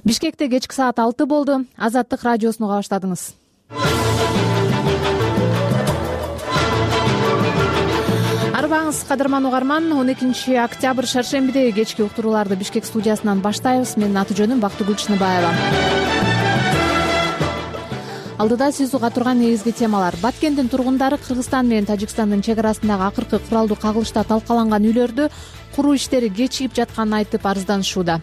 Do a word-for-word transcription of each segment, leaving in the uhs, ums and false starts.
Бишкекте кечки саат алты болду. Азаттык радиосуну уга баштадыңыз. Арбаңыз, кадырман угарман. он экинчи октябрь шаршембидеги кечки уктурууларды Бишкек студиясынан баштайбыз. Менин аты жөнүм Бактыгүл Чыныбаева. Алдыда сиз уга турган негизги темалар: Баткендин тургундары Кыргызстан менен Тажикстандын чек арасындагы акыркы куралдуу кагылышта талкаланган үйлөрдү куруу иштери кечигип жатканын айтып арызданышууда.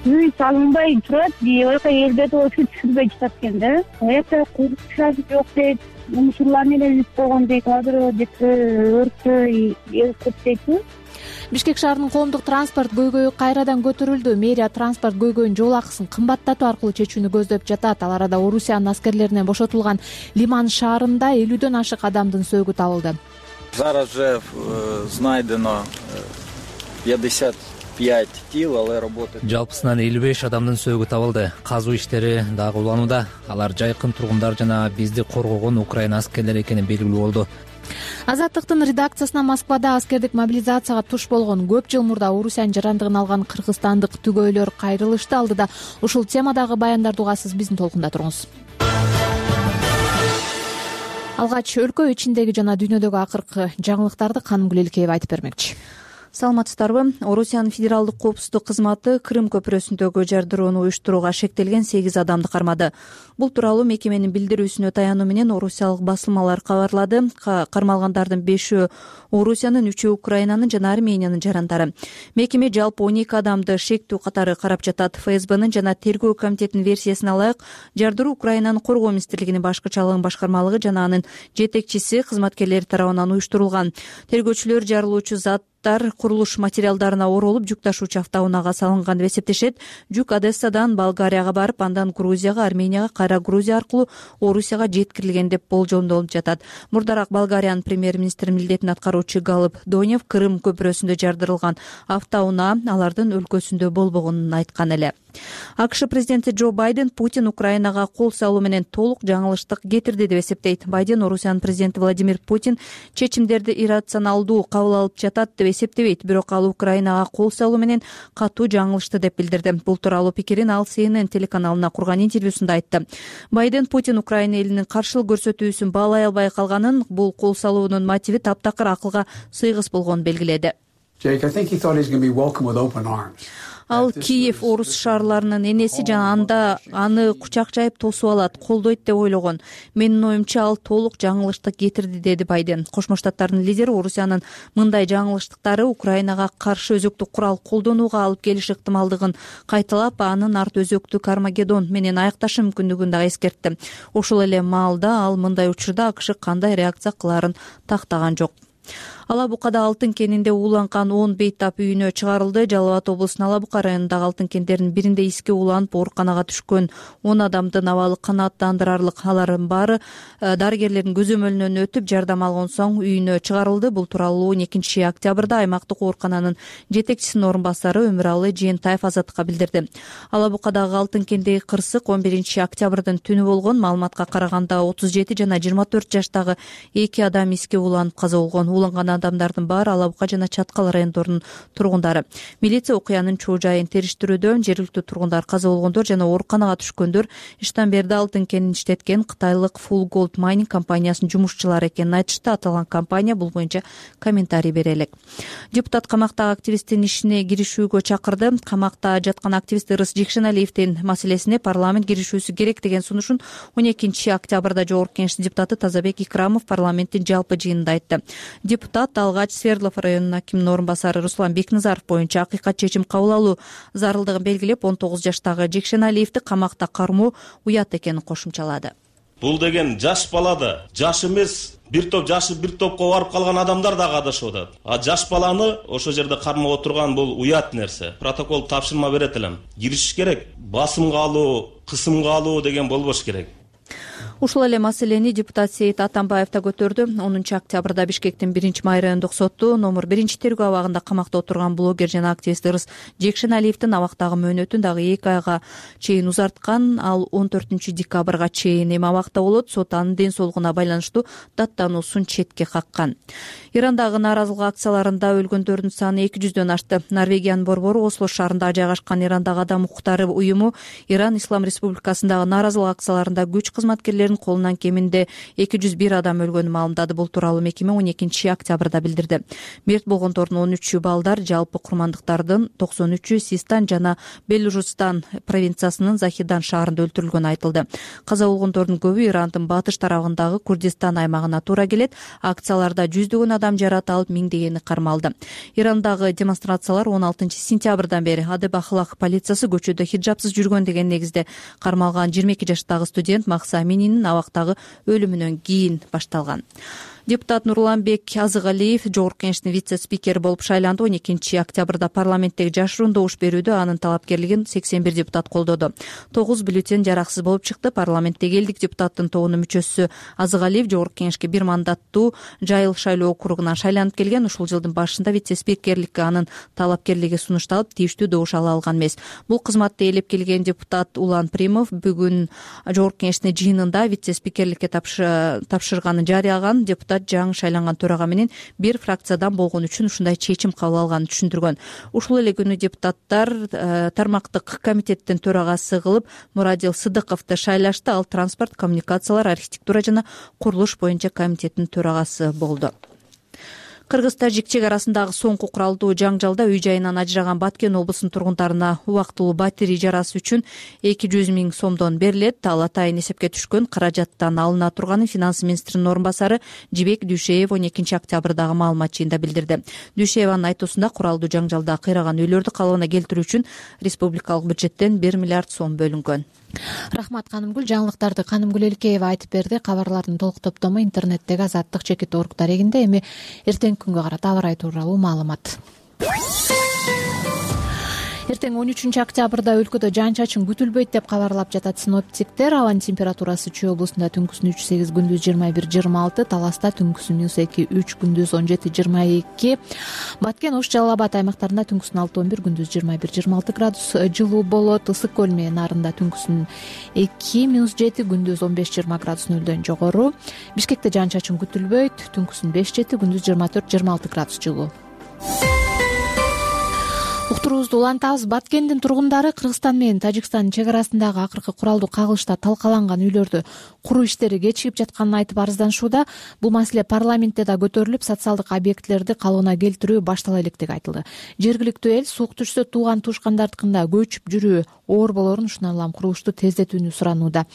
Үй салынбай турат, ойка элбет ошо түшүрбөй жатат экен да. Это курушасы жок дейт, мусурлар менен үп койгон дейт, азыр деп өрттү элкеп дейт. Бишкек шаарынын коомдук транспорт көйгөйү кайрадан көтөрүлдү. Мэрия транспорт көйгөйүнүн жол акысын кымбаттатуу аркылуу чечүүнү көздөп жатат. Ал арада Орусиянын аскерлеринен бошотулган Лиман шаарында элүүдөн ашык адамдын сөөгү табылды. Зараз же знайдено пятьдесят пять тел, але работает. Жалпысынан элүү беш адамдын сөөгү табылды. Казуу иштери дагы уланууда. Алар жайкын тургундар жана бизди коргогон Украина аскерлери экени белгилүү болду. Азаттыктын редакциясына Москвада аскердик мобилизацияга туш болгон көп жыл мурда Орусиянын жарандыгын алган кыргызстандык түгөйлөр кайрылышты. Алдыда ушул темадагы баяндарды угасыз, биздин толкунда туруңуз. Алгач өлкө ичиндеги жана дүйнөдөгү акыркы жаңылыктарды Канымгүл Элкеева айтып бермекчи. Саламатсыздарбы? Орусиянын федералдык коопсуздук кызматы Крым көпүрөсүндөгү жардырууну уюштурууга шектелген сегиз адамды кармады. Бул тууралуу мекеменин билдирүүсүнө таянуу менен орусиялык басылмалар кабарлады. Кармалгандардын бешөө Орусиянын, үчөө Украинанын жана Армениянын жарандары. Мекеме жалпы он эки адамды шектүү катары карап жатат. ФСБнын жана тергөө комитетинин версиясына ылайык, жардыруу Украинанын коргоо министрлигинин башкычалыгын башкармалыгы жана анын жетекчиси кызматкерлери тарабынан уюштурулган. Тергөөчүлөр жарылуучу зат курулуш материалдарына оролуп жүк ташуучу автоунаага салынган деп эсептешет. Жүк Одессадан Болгарияга барып, андан Грузияга, Арменияга, кайра Грузия аркылуу Орусияга жеткирилген деп болжомдолуп жатат. Мурдараак Болгариянын премьер-министри милдетин аткаруучу Галып Донев Крым көпүрөсүндө жардырылган автоунаа алардын өлкөсүндө болбогонун айткан эле. АКШ президенти Джо Байден Путин Украинага кол салуу менен толук жаңылыштык кетирди деп эсептейт. Байден Орусиянын президенти Владимир Путин чечимдерди иррационалдуу кабыл алып жатат деп эсептебейт, бирок ал Украинага кол салуу менен катуу жаңылышты деп билдирди. Бул тууралуу пикирин ал Си Эн Эн телеканалына курган интервьюсунда айтты. Байден Путин Украина элинин каршылык көрсөтүүсүн баалай албай калганын, бул кол салуунун мотиви таптакыр акылга сыйгыс болгонун белгиледи. Ал Киев орус шаарларынын энеси жана анда аны кучак жайып тосуп алат, колдойт деп ойлогон. Менин оюмча ал толук жаңылыштык кетирди, деди Байден. Кошмо Штаттардын лидери Орусиянын мындай жаңылыштыктары Украинага каршы өзөктүк курал колдонууга алып келиши ыктымалдыгын кайталап, анын арты өзөктүк Армагеддон менен аякташы мүмкүндүгүн дагы эскертти. Ошол эле маалда ал мындай учурда АКШ кандай реакция кылаарын тактаган жок. Алабукада алтын кенинде ууланган он бейтап үйүнө чыгарылды. Жалал Абад облусунун Алабука районундагы алтын кендердин биринде иске ууланып ооруканага түшкөн он адамдын абалы канааттандырарлык. Алардын баары дарыгерлердин көзөмөлүнөн өтүп жардам алган соң үйүнө чыгарылды. Бул тууралуу он экинчи октябрда аймактык оорукананын жетекчисинин орун басары Өмүралы Жээнтаев Азаттыкка билдирди. Алабукадагы алтын кендеги кырсык он биринчи октябрдын түнү болгон. Маалыматка караганда отуз жети жана жыйырма төрт жаштагы эки адам иске ууланып каза болгон. Ууланган адамдардын баары Алабука жана Чаткал райондорунун тургундары. Милиция окуянын чоо жайын териштирүүдө. Жергиликтүү тургундар каза болгондор жана ооруканага түшкөндөр иштен берди алтын кенин иштеткен кытайлык Full Gold Mining компаниясынын жумушчулары экенин айтышты. Аталган компания бул боюнча комментарий бере элек. Депутат камактагы активисттин ишине киришүүгө чакырды. Камакта жаткан активист Ырыс Жекшеналиевдин маселесине парламент киришүүсү керек деген сунушун он экинчи октябрда Жогорку Кеңештин депутаты Тазабек Икрамов парламенттин жалпы жыйынында айтты. Депутат алгач Свердлов районунун акиминин орун басары Руслан Бекназаров боюнча акыйкат чечим кабыл алуу зарылдыгын белгилеп, он тогуз жаштагы Жекшеналиевди камакта кармоо уят экенин кошумчалады. Бул деген жаш балады, жаш эмес, бир топ жашы бир топко барып калган адамдар да катышып атат. А жаш баланы ошол жерде кармап отурган бул уят нерсе. Протокол тапшырма берет элем. Киришиш керек. Басымга алуу, кысымга алуу деген болбош керек. Ушул эле маселени депутат Сейит Атамбаев да көтөрдү. онунчу октябрда Бишкектин биринчи май райондук соту номер биринчи тергөө абагында камакта отурган блогер жана активист Ырыс Жекшеналиевдин абактагы мөөнөтүн дагы эки айга чейин узарткан. Ал он төртүнчү декабрга чейин эми абакта болот. Сот анын ден соолугуна байланыштуу даттануусун четке каккан. Ирандагы нааразылык акцияларында өлгөндөрдүн саны эки жүздөн ашты. Норвегиянын борбору Осло шаарында жайгашкан Ирандагы адам укуктары уюму Иран Ислам Республикасындагы нааразылык акцияларында күч кызматкерлеринин колунан кеминде эки жүз бир адам өлгөнүн маалымдады. Бул тууралуу мекеме он экинчи октябрда билдирди. Мерт болгондордун он үчү балдар, жалпы курмандыктардын токсон үчү Систан жана Белужистан провинциясынын Захидан шаарында өлтүрүлгөнү айтылды. Каза болгондордун көбү Ирандын батыш тарабындагы Курдистан аймагына туура келет. Акцияларда жүздөгөн адам жаратылып, миңдегени кармалды. Ирандагы демонстрациялар он алтынчы сентябрдан бери Адеб Ахлак полициясы көчөдө хиджапсыз жүргөн деген негизде кармалган жыйырма эки жаштагы студент Макса Амининин абактагы өлүмүнөн кийин башталган. Депутат Нурланбек Азыгалиев Жогорку Кеңештин вице-спикери болуп шайланды. он экинчи октябрда парламенттеги жашыруун добуш берүүдө анын талапкерлигин сексен бир депутат колдоду. тогуз бюллетень жараксыз болуп чыкты. Парламенттеги элдик депутаттын тобунун мүчөсү Азыгалиев Жогорку Кеңешке бир мандаттуу Жайыл шайлоо округунан шайланып келген. Ушул жылдын башында вице-спикерликке анын талапкерлиги сунушталып, тийиштүү добуш ала алган эмес. Бул кызматты ээлеп келген депутат Улан Примов бүгүн Жогорку Кеңештин жыйынында вице-спикерликке тапшырганын жарыялаган. Депутат жаңы шайланган төрага менен бир фракциядан болгон үчүн ушундай чечим кабыл алганын түшүндүргөн. Ушул эле күнү депутаттар тармактык комитеттин төрагасы кылып Мурадил Сыдыковду шайлашты. Ал транспорт, коммуникациялар, архитектура жана курулуш боюнча комитеттин төрагасы болду. Кыргыз-Тажик чек арасындагы соңку куралдуу жаңжалда үй жайынан ажыраган Баткен облусунун тургундарына убактылуу батир ижарасы үчүн эки жүз миң сомдон берилет. Ал атайын эсепке түшкөн каражаттан алына турганын финанс министринин орун басары Жибек Дүйшеев он экинчи октябрдагы маалымат жыйында билдирди. Дүйшееванын айтуусунда куралдуу жаңжалда кыйраган үйлөрдү калыбына келтирүү үчүн республикалык бюджеттен бир миллиард сом бөлүнгөн. Рахмат Канымгүл. Жаңылыктарды Канымгүл Элкеева айтып берди. Кабарлардын толук топтому интернеттеги Азаттык чекит орг дарегинде. Эми эртеңки күнгө карата аба ырайы тууралуу маалымат. Эртең он үчүнчү октябрда өлкөдө жаан-чачын күтүлбөйт деп кабарлап жатат синоптиктер. Абанын температурасы Чүй облусунда түнкүсүн үч сегиз, күндүз жыйырма бир жыйырма алты, Таласта түнкүсүн минус эки үч, күндүз он жети жыйырма эки, Баткен, Ош, Жалал Абад аймактарында түнкүсүн алты он бир, күндүз жыйырма бир жыйырма алты градус жылуу болот. Ысык көл менен Нарында түнкүсүн эки минус жети, күндүз он беш жыйырма градус нөлдөн жогору. Бишкекте жаан-чачын күтүлбөйт, түнкүсүн беш жети, күндүз жыйырма төрт жыйырма алты градус жылуу. Уктуруубузду улантабыз. Баткендин тургундары Кыргызстан менен Тажикстандын чек арасындагы акыркы куралдуу кагылышта талкаланган үйлөрдү куруу иштери кечигип жатканын айтып арызданышууда. Бул маселе парламентте да көтөрүлүп, социалдык объектилерди калыбына келтирүү баштала электиги айтылды. Жергиликтүү эл суук түшсө тууган туушкандардыкында көчүп жүрүү оор болорун, ушундан улам курулушту тездетүүнү суранууда.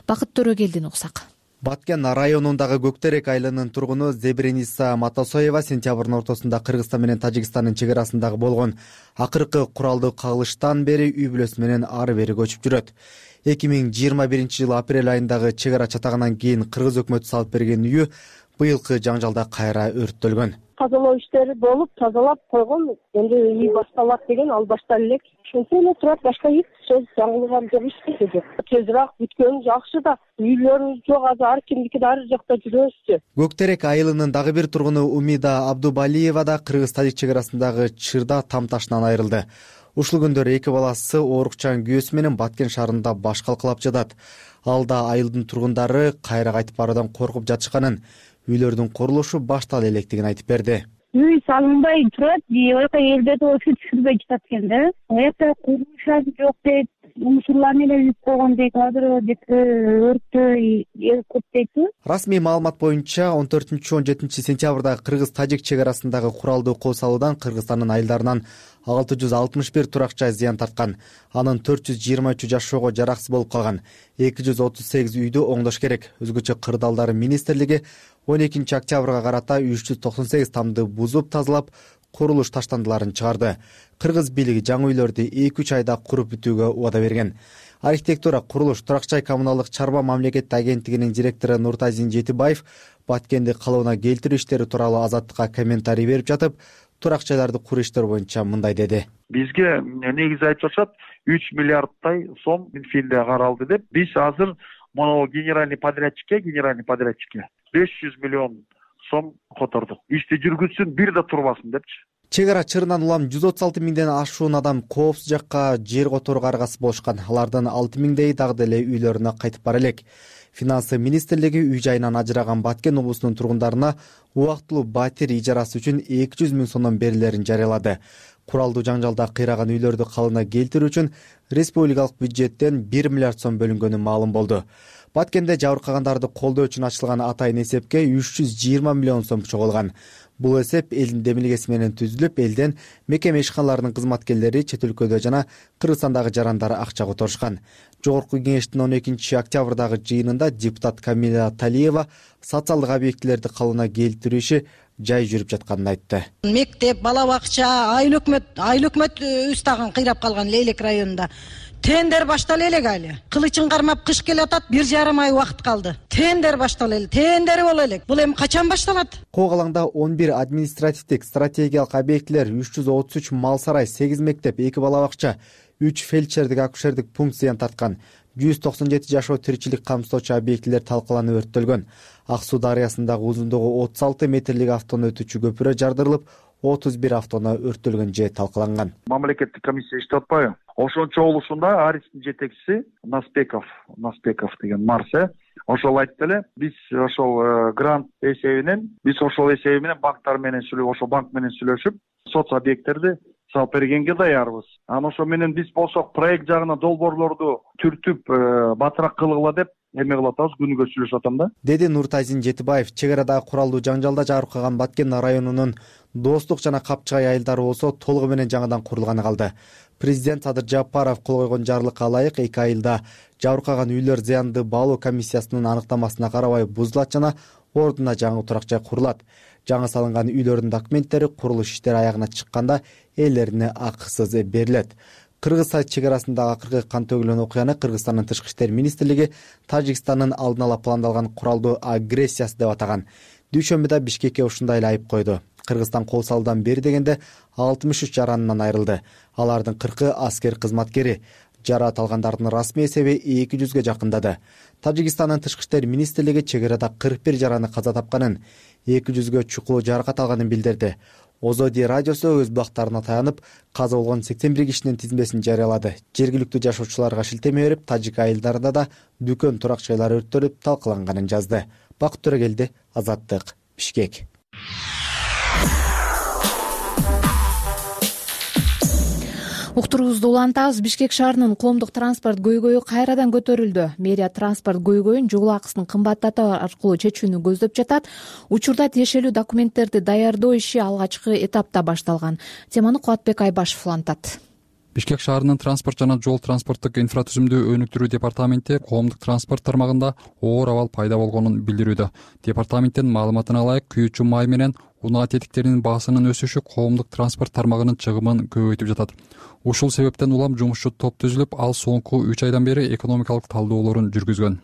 Бакыт Төрөгелдин уксак. Баткен районундагы Көктерек айылынын тургуну Зебрениса Матасоева сентябрдын ортосунда Кыргызстан менен Тажикстандын чек арасындагы болгон акыркы куралдуу кагылыштан бери үй бүлөсү менен ары бери көчүп жүрөт. эки миң жыйырма биринчи жылы апрель айындагы чек ара чатагынан кийин Кыргыз өкмөтү салып берген үйү быйылкы жаңжалда кайра өрттөлгөн. Тазалоо иштери болуп, тазалап койгон, энди үй башталат деген, ал башталып элек. Ошентип эле турат, башка эч сөз жаңылган жок, эч нерсе жок. Тезирээк бүткөн жакшы да, үйлөрүбүз жок, азыр ар кимдики да ар жакта жүрөбүзчү. Көктерек айылынын дагы бир тургуну Умида Абдубалиева да Кыргыз-Тажик чек арасындагы чырда там ташынан айрылды. Ушул күндөрү эки баласы оорукчан күйөөсү менен Баткен шаарында баш калкалап жатат. Ал да айылдын тургундары кайра кайтып баруудан коркуп жатышканын, үйлөрдүн курулушу баштала электигин айтып берди. Үй салынбай турат, ойка элбет ошо түшүрбөй жатат экен да. Эта курулуш жок дейт, мусурларны эле үйүп койгон дейт, азыр деп өрттү көп дейт. Расмий маалымат боюнча он төртүнчү он жетинчи сентябрда Кыргыз-Тажик чек арасындагы куралдуу кол салуудан Кыргызстандын айылдарынан алты жүз алтымыш бир турак жай зыян тарткан. Анын төрт жүз жыйырма үчү жашоого жараксыз болуп калган. эки жүз отуз сегиз үйдү оңдош керек. Өзгөчө кырдаалдары министрлиги он экинчи октябрга карата үч жүз токсон сегиз тамды бузуп тазалап, курулуш таштандыларын чыгарды. Кыргыз бийлиги жаңы үйлөрдү эки үч айда куруп бүтүүгө убада берген. Архитектура, курулуш, турак жай коммуналдык чарба мамлекеттик агенттигинин директору Нуртазин Жетибаев Баткенди калыбына келтирүү иштери тууралуу Азаттыкка комментарий берип жатып, турак жайларды куруу иштери боюнча мындай деди. Бизге негизи айтып атышат үч миллиардтай сом Минфинде каралды деп. Биз азыр Мону генеральный подрядчикке генеральный подрядчикке беш жүз миллион сом котордук. Ишти жүргүзсүн, бир да турбасын депчи. Чек ара чырынан улам жүз отуз алты миңден ашуун адам коопсуз жакка жер которууга аргасыз болушкан. Алардын алты миңдейи дагы деле үйлөрүнө кайтып бара элек. Финансы министрлиги үй жайынан ажыраган Баткен облусунун тургундарына убактылуу батир ижарасы үчүн эки жүз миң сомдон берилерин жарыялады. Куралдуу жаңжалда кыйраган үйлөрдү калыбына келтирүү үчүн республикалык бюджеттен бир миллиард сом бөлүнгөнү маалым болду. Баткенде жабыркагандарды колдоо үчүн ачылган атайын эсепке үч жүз жыйырма миллион сом чогулган. Бул эсеп элдин демилгеси менен түзүлүп, элден мекеме ишканаларынын кызматкерлери чет өлкөдө жана Кыргызстандагы жарандар акча которушкан. Жогорку кеңештин он экинчи октябрдагы жыйынында депутат Камила Талиева социалдык объектилерди калыбына келтирүү иши жай жүрүп жатканын айтты. Мектеп, бала бакча, айыл өкмөт, айыл өкмөт үз тагын кыйрап калган Лейлек районунда. Тендер баштала элек али. Кылычын кармап кыш келатат, бир жарым ай убакыт калды. Тендер баштала элек, тендери боло элек. Бул эми качан башталат? Когалаңда он бир административдик стратегиялык объектилер, үч жүз отуз үч мал сарай, сегиз мектеп, эки бала бакча, үч фельдшердик акушердик пункт зыян тарткан. жүз токсон жети жашоо тиричилик камсыздоочу объектилер талкаланып өрттөлгөн. Ак Суу дарыясындагы узундугу отуз алты метрлик автону өтүүчү көпүрө жардырылып, отуз бир автону өрттөлгөн же талкаланган. Мамлекеттик комиссия иштеп атпайбы? Ошончо болушунда Арistин жетекчиси Наспеков, Наспеков деген Марсе, ошол айтты эле, биз ошол грант эсебинен, биз ошол эсеби менен банктар менен сүйлөшүп, ошол банк менен сүйлөшүп, соц объекттерди салып бергенге даярбыз. Анан ошо менен биз болсок проект жагына долбоорлорду түртүп, батыраак кылгыла деп эме кылып атабыз, күнүгө сүйлөшүп атам да. Деди Нуртазин Жетибаев. Чек арадагы куралдуу жаңжалда жабыркаган Баткен районунун Достук жана Капчыгай айылдары болсо толугу менен жаңадан курулганы калды. Президент Садыр Жапаров кол койгон жарлыкка ылайык эки айылда жабыркаган үйлөр зыянды баалоо комиссиясынын аныктамасына карабай бузулат жана ордуна жаңы турак жай курулат. Жаңы салынган үйлөрдүн документтери курулуш иштери аягына чыкканда ээлерине акысыз берилет. Кыргыз чек арасындагы акыркы кан төгүлгөн окуяны Кыргызстандын тышкы иштер министрлиги Тажикстандын алдын ала пландалган куралдуу агрессиясы деп атаган. Дүйшөмбүдө Бишкекке ушундай эле айып койду. Кыргызстан кол салуудан бери дегенде алтымыш үч жаранынан айрылды. Алардын кыркы аскер кызматкери. Жараат алгандардын расмий эсеби эки жүзгө жакындады. Тажикстандын тышкы иштер министрлиги чек арада кырк бир жараны каза тапканын, эки жүзгө чукул жаракат алганын билдирди. Озоди радиосу өз бактарына таянып, каза болгон сексен бир кишинин тизмесин жарыялады. Жергиликтүү жашоочуларга шилтеме берип, Тажик айылдарында да дүкөн турак жайлары өрттөлүп талкаланганын жазды. Бакыт Төрөгелди, Азаттык, Бишкек. Уктуруубузду улантабыз. Бишкек шаарынын коомдук транспорт көйгөйү кайрадан көтөрүлдү. Мэрия транспорт көйгөйүн жол акысын кымбаттатуу аркылуу чечүүнү көздөп жатат. Учурда тиешелүү документтерди даярдоо иши алгачкы этапта башталган. Теманы Кубатбек Айбашев улантат. Бишкек шаарынын транспорт жана жол транспорттук инфратүзүмдү өнүктүрүү департаменти коомдук транспорт тармагында оор абал пайда болгонун билдирүүдө. Департаменттин маалыматына ылайык, күйүүчү май менен унаа тетиктеринин баасынын өсүшү коомдук транспорт тармагынын чыгымын көбөйтүп жатат. Ушул себептен улам жумушчу топ түзүлүп, ал соңку үч айдан бери экономикалык талдоолорун жүргүзгөн.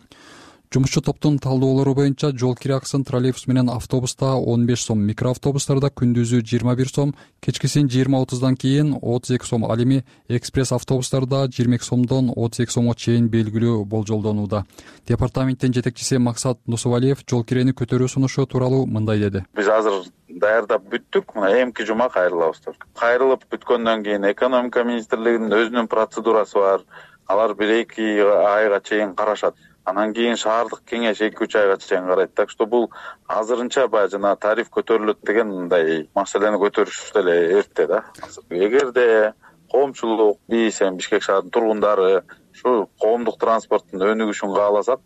Жумушчу топтун талдоолору боюнча жол кире акысын троллейбус менен автобуста он беш сом, микроавтобустарда күндүзү жыйырма бир сом, кечкисин жыйырма отуздан кийин отуз эки сом, ал эми экспресс автобустарда жыйырма эки сомдон отуз эки сомго чейин белгилүү болжолдонууда. Департаменттин жетекчиси Максат Нусувалиев жол кирени көтөрүү сунушу тууралуу мындай деди. Биз азыр даярдап бүттүк. Мына эмки жума кайрылабыз. Кайрылып бүткөндөн кийин экономика министрлигинин өзүнүн процедурасы бар. Алар бир эки айга чейин карашат. Анан кийин шаардык кеңеш эки үч айга чейин карайт. Так что бул азырынча баягы жана тариф көтөрүлөт деген мындай маселени көтөрүш деле эрте да. Эгерде коомчулук, биз эми Бишкек шаарынын тургундары ушу коомдук транспорттун өнүгүшүн кааласак,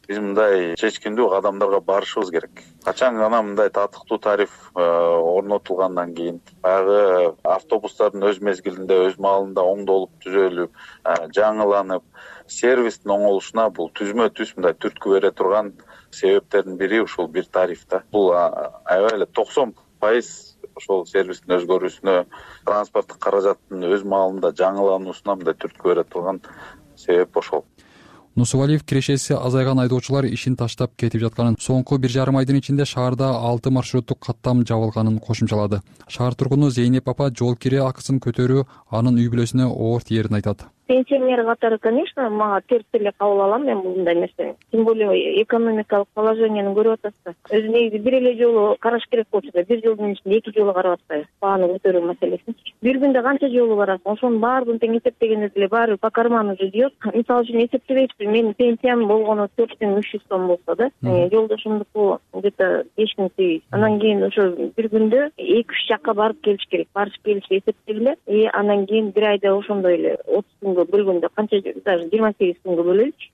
биз мындай чечкиндүү кадамдарга барышыбыз керек. Качан гана мындай татыктуу тариф орнотулгандан кийин баягы автобустардын өз мезгилинде, өз маалында оңдолуп, түзөлүп, жаңыланып, сервистин оңолушуна бул түзмө түз мындай түрткү бере турган себептердин бири ушул бир тариф да. Бул аябай эле токсон пайыз ошол сервистин өзгөрүүсүнө, транспорттук каражаттын өз маалында жаңылануусуна мындай түрткү бере турган себеп ошол. Нусувалиев кирешеси азайган айдоочулар ишин таштап кетип жатканын, соңку бир жарым айдын ичинде шаарда алты маршруттук каттам жабылганын кошумчалады. Шаар тургуну Зейнеп апа жол кире акысын көтөрүү анын үй бүлөсүнө оор тиерин айтат. пенсионер катары, конечно, мага терс эле кабыл алам мен мындай нерсени. Тем более экономикалык положениени көрүп атасыз да. Өзү негизи бир эле жолу караш керек болчу да, бир жылдын ичинде эки жолу карап атпайбы бааны көтөрүү маселесин. Бир күндө канча жолу барасың? Ошонун баарын тең эсептегенде деле баары по карману жүйөт. Мисалы үчүн эсептебейсизби, менин пенсиям болгону төрт миң үч жүз сом болсо да, жолдошумдуку где-то беш миң сегиз жүз. Анан кийин ошо бир күндө эки үч жакка барып келиш керек. Барып келишти эсептегиле. И анан кийин бир айда ошондой эле отуз күнгө бөлгөндө канча, даже жыйырма сегиз күнгө бөлөлүчү.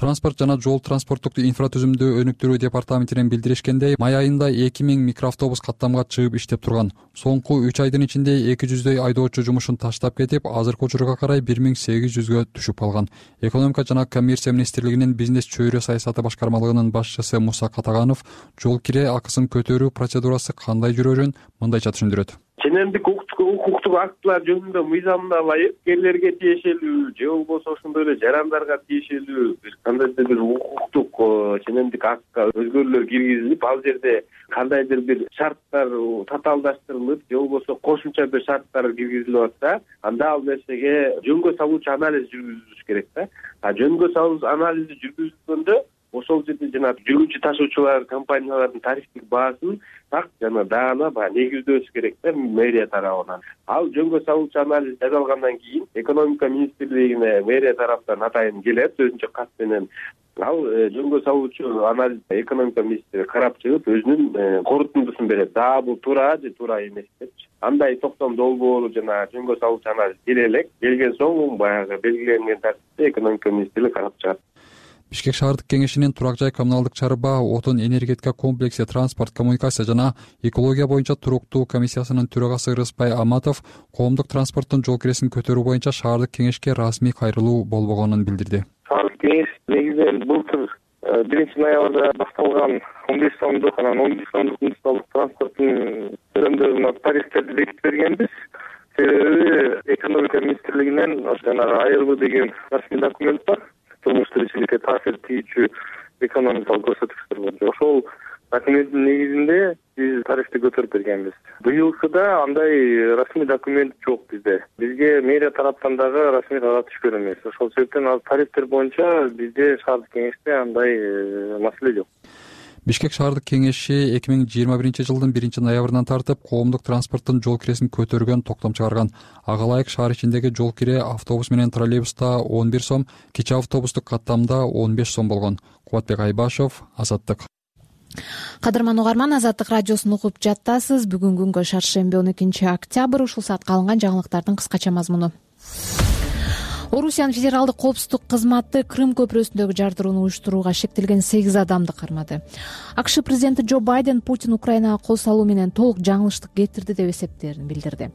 Транспорт жана жол транспорттук инфратүзүмдү өнүктүрүү департаментинен билдиришкендей, май айында эки миң микроавтобус каттамга чыгып иштеп турган. Соңку үч айдын ичинде эки жүздөй айдоочу жумушун таштап кетип, азыркы учурга карай бир миң сегиз жүзгө түшүп калган. Экономика жана коммерция министрлигинин бизнес чөйрө саясаты башкармалыгынын башчысы Муса Катаганов жол кире акысын көтөрүү процедурасы кандай жүрөрүн мындайча түшүндүрөт. Ченемдик укуктук актылар жөнүндө мыйзамына ылайык элдерге тиешелүү же болбосо ошондой эле жарандарга тиешелүү бир кандайдыр бир укуктук ченемдик актка өзгөрүүлөр киргизилип, ал жерде кандайдыр бир шарттар татаалдаштырылып же болбосо кошумча бир шарттар киргизилип атса, анда ал нерсеге жөнгө салуучу анализ жүргүзүлүш керек да. А жөнгө салуу анализи жүргүзүлгөндө ошол жерде жана жүргүчү ташуучулар компаниялардын тарифтик баасын так жана даана баягы негиздөөсү керек да мэрия тарабынан. Ал жөнгө салуучу анализ жасалгандан кийин экономика министрлигине мэрия тараптан атайын келет өзүнчө кат менен. Ал жөнгө салуучу анализ экономика министри карап чыгып өзүнүн корутундусун берет. Да, бул туура же туура эмес депчи. Андай токтом долбоору жана жөнгө салуучу анализ келе элек. Келген соң баягы белгиленген тартипте экономика министрлиги карап чыгат. Бишкек шаардык кеңешинин турак жай коммуналдык чарба, отун энергетика комплекси, транспорт, коммуникация жана экология боюнча туруктуу комиссиясынын төрагасы Рыспай Аматов коомдук транспорттун жол киресин көтөрүү боюнча шаардык кеңешке расмий кайрылуу болбогонун билдирди. Шаардык кеңеш негизинен былтыр биринчи ноябрда башталган он беш сомдук анан он беш сомдук муниципалдык транспорттун төлөмдөрүнө тарифтерди бекитип бергенбиз. Себеби экономика министрлигинен жанагы айырбы деген расмий документ бар. Турмуш тиричиликке таасир тийүүчү экономикалык көрсөткүчтөр боюнча ошол документтин негизинде биз тарифти көтөрүп бергенбиз. Быйылкыда андай расмий документ жок бизде. Бизге мэрия тараптан дагы расмий кагат түшкөн эмес. Ошол себептен ал тарифтер боюнча бизде шаардык кеңеште андай маселе жок. Бишкек шаардык кеңеши эки миң жыйырма биринчи жылдын биринчи ноябрынан тартып коомдук транспорттун жол киресин көтөргөн токтом чыгарган. Ага ылайык шаар ичиндеги жол кире автобус менен троллейбуста он бир сом, кичи автобустук каттамда он беш сом болгон. Кубатбек Айбашев, Азаттык. Кадырман угарман, Азаттык радиосун угуп жаттасыз. Бүгүн күнгө шаршемби он экинчи октябрь. Ушул саатка алынган жаңылыктардын кыскача мазмуну. Орусиянын федералдык коопсуздук кызматы Крым көпүрөсүндөгү жардырууну уюштурууга шектелген сегиз адамды кармады. АКШ президенти Джо Байден Путин Украинага кол салуу менен толук жаңылыштык кетирди деп эсептээрин билдирди.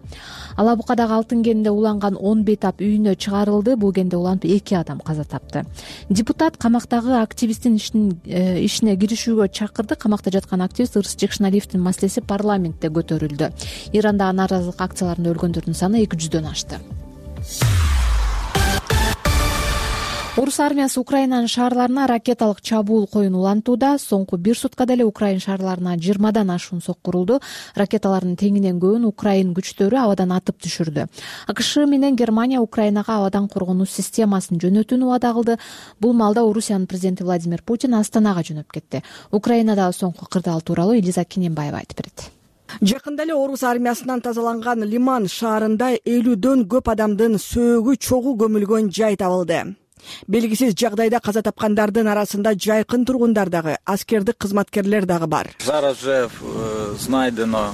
Алабукадагы алтын кенинде уланган он бейтап үйүнө чыгарылды. Бул кенде уланып эки адам каза тапты. Депутат камактагы активисттин ишине киришүүгө чакырды. Камакта жаткан активист Ырыс Жекшеналиевдин маселеси парламентте көтөрүлдү. Иранда нааразылык акцияларында өлгөндөрдүн саны эки жүздөн ашты. Орус армиясы Украинанын шаарларына ракеталык чабуул коюун улантууда. Соңку бир суткада эле Украин шаарларына жыйырмадан ашуун соккурулду. Ракеталардын теңинен көбүн Украин күчтөрү абадан атып түшүрдү. АКШ менен Германия Украинага абадан коргонуу системасын жөнөтүүнү убада кылды. Бул маалда Орусиянын президенти Владимир Путин Астанага жөнөп кетти. Украинадагы соңку кырдаал тууралуу Элиза Кинембаева айтып берет. Жакында эле орус армиясынан тазаланган Лиман шаарында элүүдөн көп адамдын сөөгү чогуу көмүлгөн жай табылды. Белгисиз жагдайда каза тапкандардын арасында жайкын тургундар дагы, аскердик кызматкерлер дагы бар. Зараз же знайдено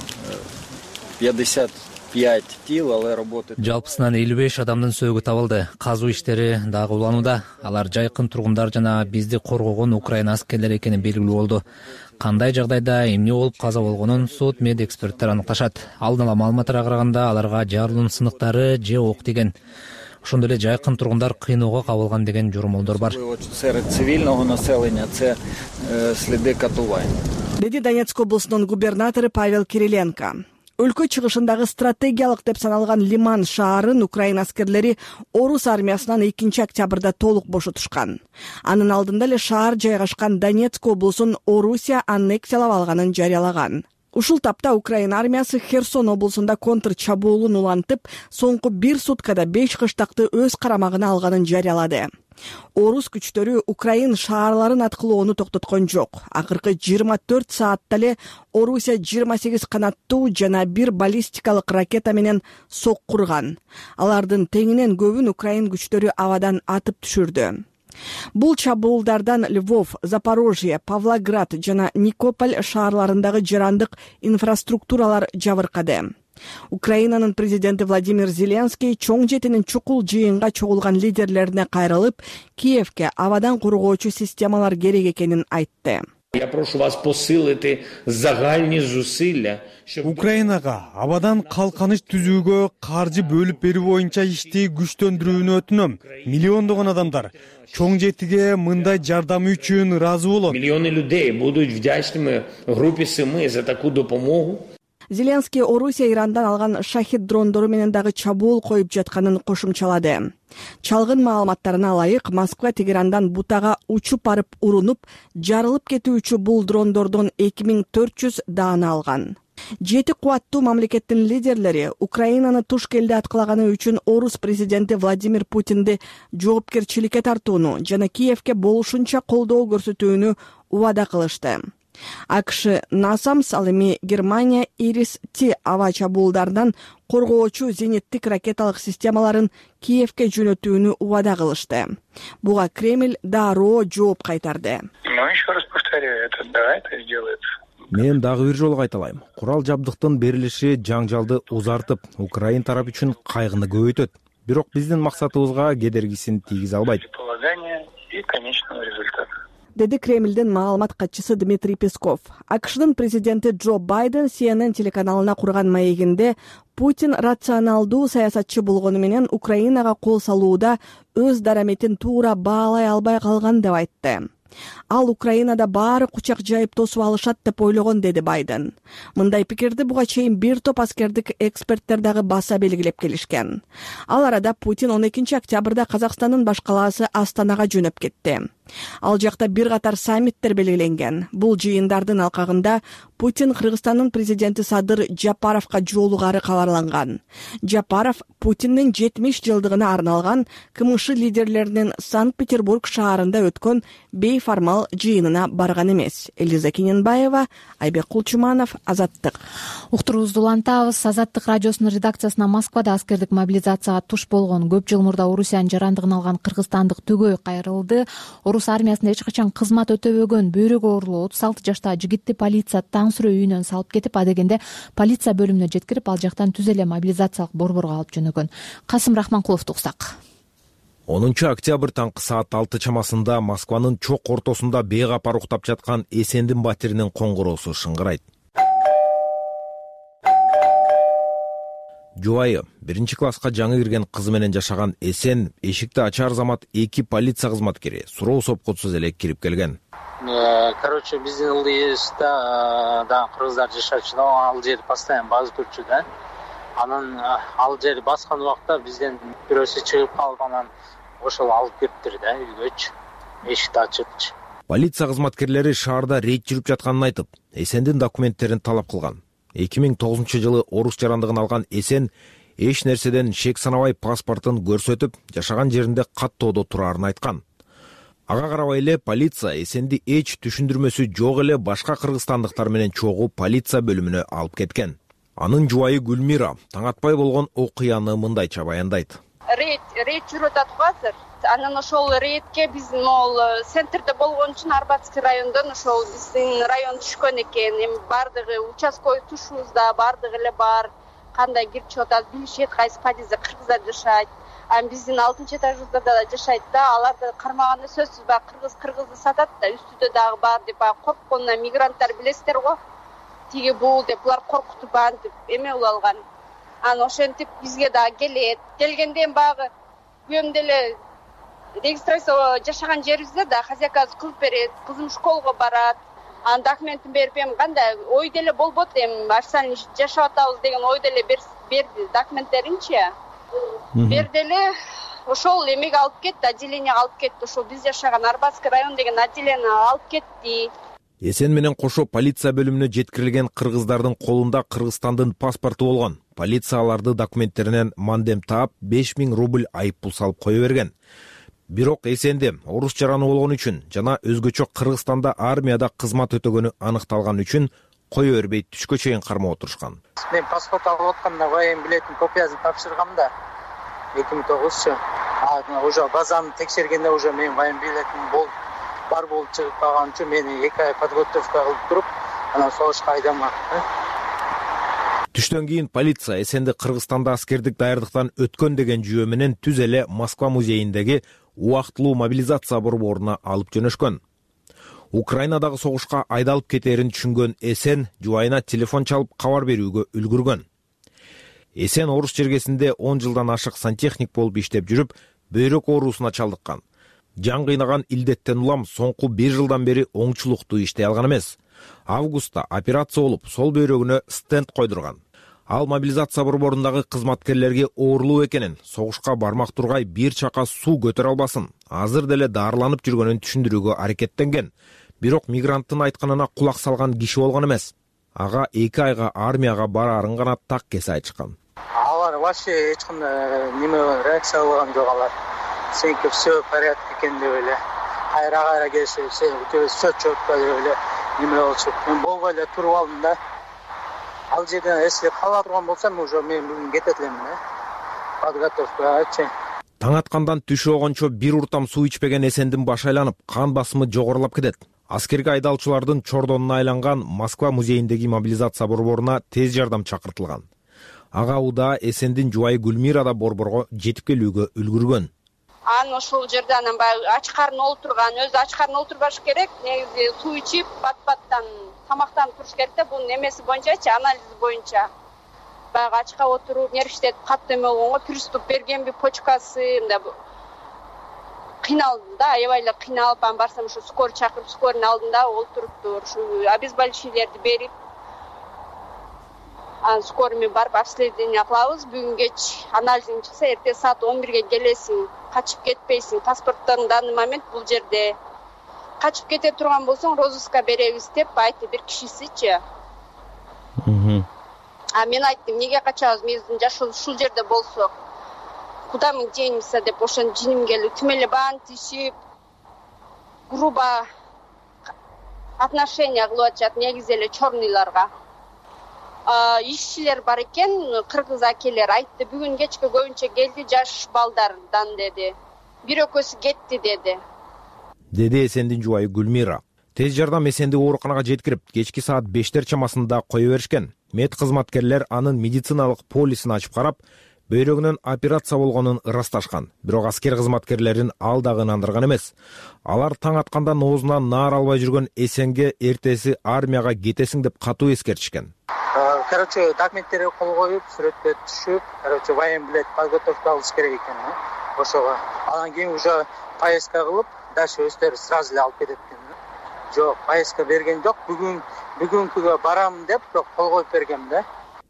пятьдесят пять тил, але работает. Жалпысынан элүү беш адамдын сөөгү табылды. Казуу иштери дагы уланууда. Алар жайкын тургундар жана бизди коргогон Украин аскерлери экени белгилүү болду. Кандай жагдайда эмне болуп каза болгонун сот мед эксперттер аныкташат. Алдын ала маалыматтарга караганда аларга жарылуунун сыныктары же ок тиген. Ошондой эле жайкын тургундар кыйноого кабылган деген жоромолдор бар. Серед цивильного населения це следи катувань. Деди Донецк облусунун губернатору Павел Кириленко. Өлкө чыгышындагы стратегиялык деп саналган Лиман шаарын Украин аскерлери орус армиясынан экинчи октябрда толук бошотушкан. Анын алдында эле шаар жайгашкан Донецк облусун Орусия аннексиялап алганын жарыялаган. Ушул тапта Украина армиясы Херсон облусунда контр чабуулун улантып, соңку бир суткада беш кыштакты өз карамагына алганын жарыялады. Орус күчтөрү Украин шаарларын аткылоону токтоткон жок. Акыркы жыйырма төрт саатта эле Орусия жыйырма сегиз канаттуу жана бир баллистикалык ракета менен соккурган. Алардын теңинен көбүн Украин күчтөрү абадан атып түшүрдү. Бул чабуулдардан Львов, Запорожье, Павлоград жана Никополь шаарларындагы жарандык инфраструктуралар жабыркады. Украинанын президенти Владимир Зеленский чоң жетинин чукул жыйынга чогулган лидерлерине кайрылып, Киевке абадан коргоочу системалар керек экенин айтты. Я прошу вас посилити загальні зусилля. Украинага абадан калканыч түзүүгө каржы бөлүп берүү боюнча ишти күчтөндүрүүнү өтүнөм. Миллиондогон адамдар чоң жетиге мындай жардамы үчүн ыраазы болот. Миллионы людей будут вдячными группе Семи за такую допомогу. Зеленский Орусия Ирандан алган шахид дрондору менен дагы чабуул коюп жатканын кошумчалады. Чалгын маалыматтарына ылайык, Москва Тегерандан бутага учуп барып урунуп, жарылып кетүүчү бул дрондордон эки миң төрт жүз даана алган. Жети кубаттуу мамлекеттин лидерлери Украинаны туш келди аткылаганы үчүн Орус президенти Владимир Путинди жоопкерчиликке тартууну жана Киевке болушунча колдоо көрсөтүүнү убада кылышты. АКШ Насамс, ал эми Германия Ирис-Ти аба чабуулдарынан коргоочу зениттик ракеталык системаларын Киевке жөнөтүүнү убада кылышты. Буга Кремль дароо жооп кайтарды. Мен дагы бир жолу кайталайм. Курал жабдыктын берилиши жаңжалды узартып, Украин тарап үчүн кайгыны көбөйтөт. Бирок биздин максатыбызга кедергисин тийгизе албайт. Деди Кремлдин маалымат катчысы Дмитрий Песков. АКШнын президенти Джо Байден Си Эн Эн телеканалына курган маегинде Путин рационалдуу саясатчы болгону менен Украинага кол салууда өз дараметин туура баалай албай калган деп айтты. Ал Украинада баары кучак жайып тосуп алышат деп ойлогон, деди Байден. Мындай пикирди буга чейин бир топ аскердик эксперттер дагы баса белгилеп келишкен. Ал арада Путин он экинчи октябрда Казакстандын баш калаасы Астанага жөнөп кетти. Ал жакта бир катар саммиттер белгиленген. Бул жыйындардын алкагында Путин Кыргызстандын президенти Садыр Жапаровго жолугары кабарланган. Жапаров Путиндин жетимиш жылдыгына арналган КМШ лидерлеринин Санкт-Петербург шаарында өткөн бейформал жыйынына барган эмес. Элиза Кененбаева, Айбек Кулчуманов, Азаттык. Уктуруубузду улантабыз. Азаттык радиосунун редакциясына Москвада аскердик мобилизацияга туш болгон көп жыл мурда Орусиянын жарандыгын алган кыргызстандык түгөй кайрылды. Орус армиясында эч качан кызмат өтөбөгөн бөйрөгү оорулуу отуз алты жаштагы жигитти полиция таң сүрө үйүнөн салып кетип, адегенде полиция бөлүмүнө жеткирип, ал жактан түз эле мобилизациялык борборго алып жөнөгөн. Касым Рахманкуловду уксак. онунчу октябрь таңкы саат алты чамасында Москванын чок ортосунда бейгапар уктап жаткан Эсендин батиринин коңгуроосу шыңгырайт. Жубайы биринчи класска жаңы кирген кызы менен жашаган Эсен эшикти ачар замат эки полиция кызматкери суроо сопкутсуз эле кирип келген. Короче, биздин ылдыйыбызда да кыргыздар жашачу да, ал жер постоянно басып турчу да. Анан ал жер баскан убакта бизден бирөөсү чыгып калып, анан ошол алып кириптир да үйгөчү. Эшикти ачыпчы. Полиция кызматкерлери шаарда рейд жүрүп жатканын айтып, Эсендин документтерин талап кылган. эки миң тогузунчу жылы орус жарандыгын алган Эсен эч нерседен шек санабай паспортун көрсөтүп, жашаган жеринде каттоодо турарын айткан. Ага карабай эле полиция Эсенди эч түшүндүрмөсү жок эле башка кыргызстандыктар менен чогуу полиция бөлүмүнө алып кеткен. Анын жубайы Гүлмира таң атпай болгон окуяны мындайча баяндайт. Рейд рейд жүрүп атат азыр. Анан ошол рейдке биз могул центрде болгон үчүн Арбатский райондон ошол биздин район түшкөн экен. Эми бардыгы участковый тушубузда бардыгы эле бар. Кандай кирип чыгып атат билишет, кайсы подъездде кыргыздар жашайт. А биздин алтынчы этажыбызда да жашайт да, аларды кармаганда сөзсүз баягы кыргыз кыргызды сатат да, үстүдө дагы бар деп баягы коркконунан мигранттар билесиздер го. Тиги бул деп булар коркутуп антип эме кылып алган. Анан ошентип бизге дагы келет. Келгенден баягы күйөөм деле регистрация жашаган жерибизде да хозяйкасы кылып берет, кызым школго барат. Анан документин берип, эми кандай ой деле болбот, эми официально жашап атабыз деген ой деле берди документтеринчи. Берди эле ошол эмеге алып кетти, отделениеге алып кетти. Ошол биз жашаган Арбатский район деген отделениеге алып кетти. Эсен менен кошо полиция бөлүмүнө жеткирилген кыргыздардын колунда Кыргызстандын паспорту болгон. Полиция аларды документтеринен мандем таап беш миң рубль айып пул салып кое берген. Бирок Эсенди орус жараны болгон үчүн жана өзгөчө Кыргызстанда армияда кызмат өтөгөнү аныкталган үчүн кое бербей түшкө чейин кармап отурушкан. Мен паспорт алып атканда воен билетин копиясын тапшыргам да эки миң тогузчу. Уже базаны текшергенде уже мен воен билетим бол бар болуп чыгып калган үчүн мени эки ай подготовка кылып туруп, анан согушка айдамак. Түштөн кийин полиция Эсенди Кыргызстанда аскердик даярдыктан өткөн деген жүйө менен түз эле Москва музейиндеги убактылуу мобилизация борборуна алып жөнөшкөн. Украинадагы согушка айдалып кетерин түшүнгөн Эсен жубайына телефон чалып кабар берүүгө үлгүргөн. Эсен орус чергесинде он жылдан ашык сантехник болуп иштеп жүрүп, бөйрөк оорусуна чалдыккан. Жан кыйнаган илдеттен улам соңку бир жылдан бери оңчулуктуу иштей алган эмес. Августта операция болуп, сол бөйрөгүнө стенд койдурган. Ал мобилизация борборундагы кызматкерлерге оорлуу экенин, согушка бармак тургай бир чака суу көтөрө албасын, азыр деле даарыланып жүргөнүн түшүндүрүүгө аракеттенген. Бирок мигранттын айтканына кулак салган киши болгон эмес. Ага эки айга армияга бараарын гана так кесе айтышкан. Алар вообще эч кандай неме реакция алган жок алар. Сенки все в порядке экен деп эле. Кайра кайра келсе, сен все четко деп эле неме болчу. Мен болбой эле туруп алдым да. Ал жерден если кала турган болсам, уже мен бүгүн кетет элем да. Подготовкачы. Таң аткандан түш болгончо бир уртам суу ичпеген Эсендин башы айланып, кан басымы жогорулап кетет. Аскерге айдалчылардын чордонуна айланган Москва музейиндеги мобилизация борборуна тез жардам чакыртылган. Ага уда Эсендин жубайы Гүлмира да борборго жетип келүүгө үлгүргөн. Аны ошол жерде анан баягы ач карн олтурган, өзү ач карн олтурбаш керек, негизи суу ичип, бат-баттан тамактанып туруш керек да, бул немеси боюнчачы, анализи боюнча. Баягы ачка отуруп, нервтет катты эме болгонго приступ бергенби, почкасы, мындай кыйналдым да, аябай эле кыйналып, анан барсам ушу скорый чакырып, скорыйнын алдында олтуруптур, ушу обезболивающийлерди берип, анан скорыймен барып обследование кылабыз. Бүгүн кеч анализиң чыкса, эртең саат он бирге келесиң, качып кетпейсиң. Паспорттон данный момент бул жерде. Качып кете турган болсоң, розыска беребиз деп айтты бир кишисичи. А мен айттым, эмнеге качабыз, биздин жаш ушул жерде болсок, куда мы денемся деп ошон жиним келип, тим эле бааны тишип, грубо отношение кылып атышат негизи эле черныйларга. Ишчилер бар экен, кыргыз акелер айтты, бүгүн кечке көбүнчө келди жаш балдардан деди. Бир экөөсү кетти деди. Деди Эсендин жубайы Гүлмира. Тез жардам Эсенди ооруканага жеткирип, кечки саат бештер чамасында кое беришкен. Мед кызматкерлер анын медициналык полисин ачып карап, бөйрөгүнөн операция болгонун ырасташкан. Бирок аскер кызматкерлерин ал дагы ынандырган эмес. Алар таң аткандан оозунан наар албай жүргөн Эсенге эртеси армияга кетесиң деп катуу эскертишкен. Короче, документтерге кол коюп, сүрөткө түшүп, короче, воен билет подготовка кылыш керек экен, ошого. Анан кийин уже поездка кылып, дальше өздөрү сразу эле алып кетет экен. Жок, поездка берген жок. Бүгүн бүгүнкүгө барам деп кол коюп бергем да.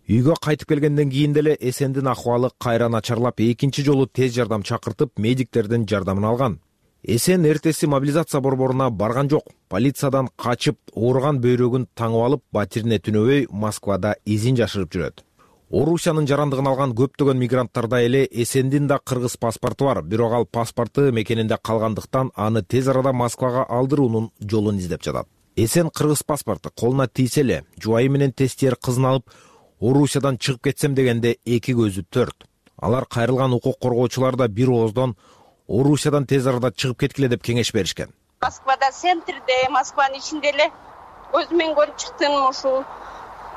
Үйгө кайтып келгенден кийин деле Эсендин акыбалы кайра начарлап, экинчи жолу тез жардам чакыртып, медиктердин жардамын алган. Эсен эртеси мобилизация борборуна барган жок. Полициядан качып, ооруган бөйрөгүн таңып алып, батирине түнөбөй Москвада изин жашырып жүрөт. Орусиянын жарандыгын алган көптөгөн мигранттарда эле Эсендин да кыргыз паспорту бар, бирок ал паспорту мекенинде калгандыктан аны тез арада Москвага алдыруунун жолун издеп жатат. Эсен кыргыз паспорту колуна тийсе эле, жубайы менен тестиер кызын алып, Орусиядан чыгып кетсем дегенде эки көзү төрт. Алар кайрылган укук коргоочулар да бир ооздон Орусиядан тез арада чыгып кеткиле деп кеңеш беришкен. Москвада центрде, Москванын ичинде эле өзүм көрүп чыктым, ушул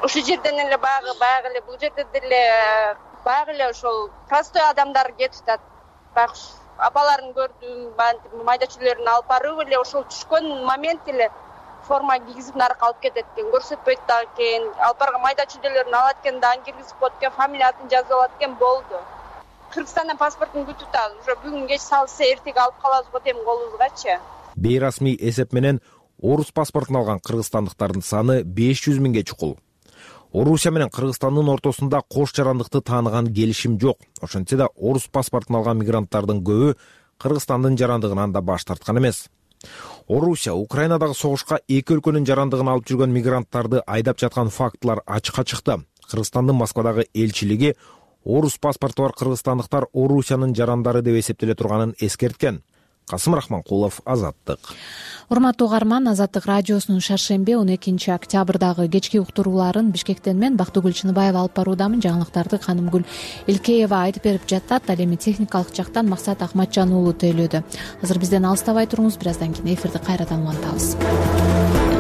ушул жерден эле баягы баягы эле бул жерде деле баягы эле ошол простой адамдар кетип атат. Баягы апаларын көрдүм, майда чүлөрүн алып барып эле ошол түшкөн момент эле форма кийгизип нарыкка алып кетет экен, көрсөтпөйт дагы экен. Алып барган майда чүлөлөрүн алат экен, дагы киргизип коет экен, фамилия атын жазып алат экен, болду. Кыргызстандан паспортун күтүп атабыз. Уже бүгүн кеч салса эртеге алып калабыз го дейм колубузгачы. Бейрасмий эсеп менен орус паспортун алган кыргызстандыктардын саны беш жүз миңге чукул. Орусия менен Кыргызстандын ортосунда кош жарандыкты тааныган келишим жок. Ошентсе да орус паспортун алган мигранттардын көбү Кыргызстандын жарандыгынан да баш тарткан эмес. Орусия Украинадагы согушка эки өлкөнүн жарандыгын алып жүргөн мигранттарды айдап жаткан фактылар ачыкка чыкты. Кыргызстандын Москвадагы элчилиги орус паспорту бар кыргызстандыктар Орусиянын жарандары деп эсептеле турганын эскерткен. Касым Рахманкулов, Азаттык. Урматтуу угарман, Азаттык радиосунун шаршемби он экинчи октябрдагы кечки уктурууларын Бишкектен мен Бактыгүл Чыныбаева алып баруудамын. Жаңылыктарды Канымгүл Илкеева айтып берип жатат. Ал эми техникалык жактан Максат Акматжан уулу тейлөөдө. Азыр бизден алыстабай туруңуз, бир аздан кийин эфирди кайрадан улантабыз.